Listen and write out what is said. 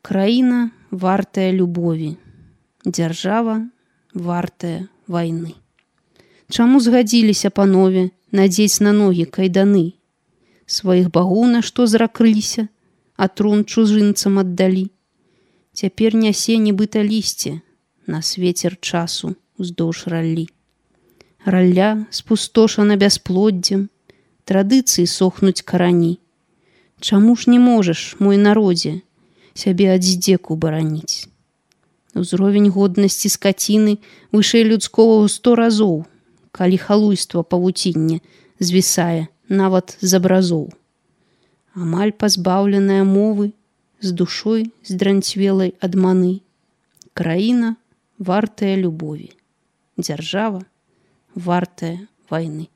Краіна вартая любові, дзяржава вартая вайны. Чаму згадзіліся панове надзець на ногі кайданы? Сваіх багоў на што зракрыліся, а трон чужынцам аддалі. Цяпер нясе нібыта лісце на свецер часу уздоўж раллі. Ралля спустошана бясплоддзем, традыцыі сохнуць карані. Чаму ж не можаш, мой народзе, сябе ад здзеку бараніць? Узровень годнасці скаціны вышэй людскога ў 100 разоў, калі халуйства павуцінне звісае нават з абразоў. Амаль пазбаўленая мовы, з душой здранцвелай ад маны. Краіна вартая любові, дзяржава вартая вайны.